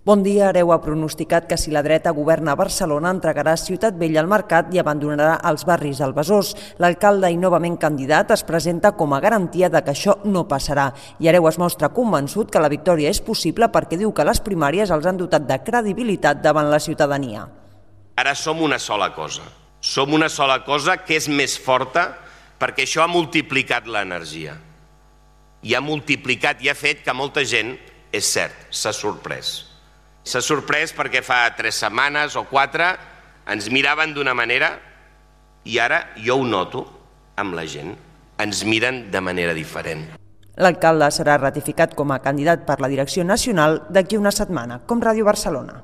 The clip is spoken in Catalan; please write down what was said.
Bon dia. Hereu ha pronosticat que si la dreta governa a Barcelona entregarà Ciutat Vella al mercat i abandonarà els barris del Besòs. L'alcalde i novament candidat es presenta com a garantia de que això no passarà. I Hereu es mostra convençut que la victòria és possible perquè diu que les primàries els han dotat de credibilitat davant la ciutadania. Ara som una sola cosa. Som una sola cosa que és més forta perquè això ha multiplicat l'energia. I ha multiplicat i ha fet que molta gent, és cert, s'ha sorprès. S'ha sorprès perquè fa 3 setmanes o 4 ens miraven d'una manera i ara jo ho noto amb la gent. Ens miren de manera diferent. L'alcalde serà ratificat com a candidat per la direcció nacional d'aquí una setmana, com Ràdio Barcelona.